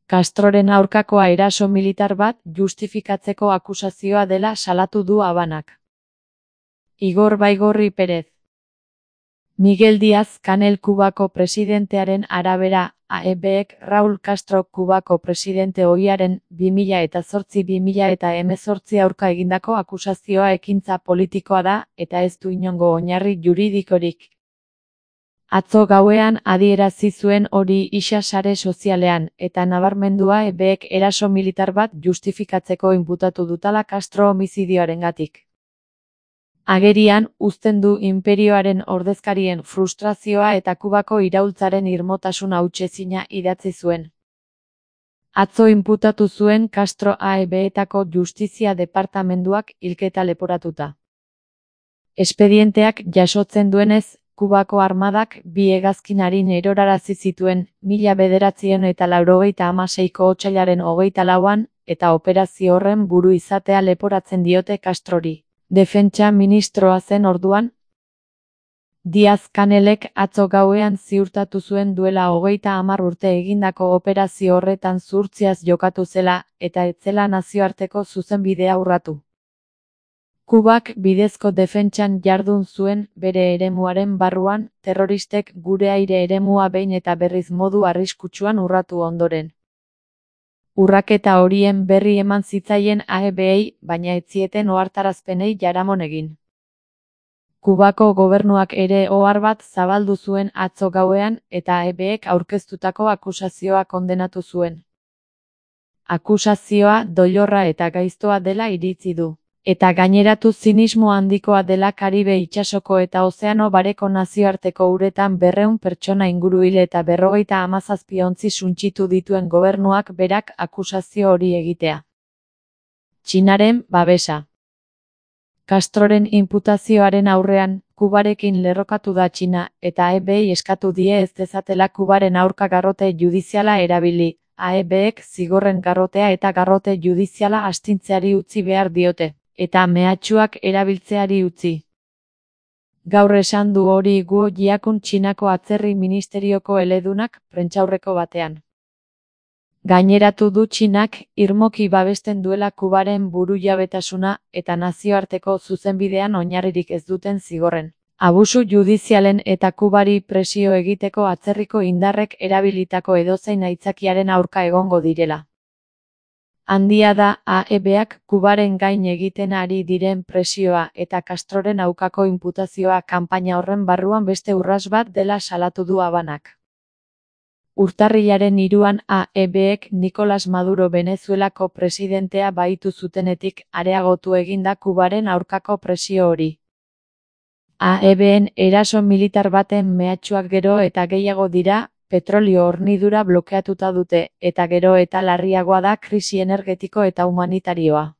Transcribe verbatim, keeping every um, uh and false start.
Castroren aurkakoa eraso militar bat justifikatzeko akusazioa dela salatu du Habanak. Igor Baigorri Pérez. Miguel Díaz-Canel Kubako presidentearen arabera, A E Bek Raúl Castro Kubako presidente ohiaren bi mila zortzi bi mila hemezortzi aurka egindako akusazioa ekintza politikoa da eta ez du inongo oinarri juridikorik. Atzo gauean adierazi zuen hori isa sare sozialean eta nabarmendua E Bek eraso militar bat justifikatzeko inputatu dutala Castro homizidioarengatik. Agerian, uzten du inperioaren ordezkarien frustrazioa eta Kubako iraultzaren irmotasuna hutsezina idatzi zuen. Atzo inputatu zuen Castro A E Betako Justizia Departamenduak hilketa leporatuta. Espedienteak jasotzen duenez, Kubako armadak bi hegazkinarin erorarazi zituen mila bederatziehun eta laurogeita hamaseiko otsailaren hogeita lauan eta operazio horren buru izatea leporatzen diote Castrori. Defentsa ministroa zen orduan. Díaz-Canelek atzo gauean ziurtatu zuen duela hogeita hamar urte egindako operazio horretan zuhurtziaz jokatu zela eta ez zela nazioarteko zuzenbidea urratu. Kubak bidezko defentsan jardun zuen bere eremuaren barruan, terroristek gure aire eremua behin eta berriz modu arriskutsuan urratu ondoren. Urraketa horien berri eman zitzaien A E Bei, baina ez zieten ohartarazpenei jaramon egin. Kubako gobernuak ere ohar bat zabaldu zuen atzo gauean eta A E Bek aurkeztutako akusazioa kondenatu zuen. Akusazioa doilorra eta gaiztoa dela iritzi du. Eta gaineratu zinismo handikoa dela Karibe itsasoko eta Ozeano Bareko nazioarteko uretan berrehun pertsona inguru hil eta berrogeita hamazazpi ontzi suntsitu dituen gobernuak berak akusazio hori egitea. Txinaren babesa. Castroren inputazioaren aurrean, Kubarekin lerrokatu da Txina, eta A E Bei eskatu die ez dezatela Kubaren aurka garrote judiziala erabili. A E Bek zigorren garrotea eta garrote judiziala astintzeari utzi behar diote, eta mehatxuak erabiltzeari utzi. Gaur esan du hori Guo Jiakun Txinako atzerri ministerioko eledunak prentsaurreko batean. Gaineratu du Txinak irmoki babesten duela Kubaren burujabetasuna eta nazioarteko zuzenbidean oinarririk ez duten zigorren. Abusu judizialen eta Kubari presio egiteko atzerriko indarrek erabilitako edozein aitzakiaren aurka egongo direla. Handia da A E Bak Kubaren gain egiten ari diren presioa eta Castroren aukako inputazioa kanpaina horren barruan beste urras bat dela salatu du Habanak. Urtarrilaren hiruan A E Bek Nicolas Maduro Venezuelako presidentea bahitu zutenetik areagotu eginda Kubaren aurkako presio hori. A E Ben eraso militar baten mehatxuak gero eta gehiago dira, petrolio hornidura blokeatuta dute, eta gero eta larriagoa da krisi energetiko eta humanitarioa.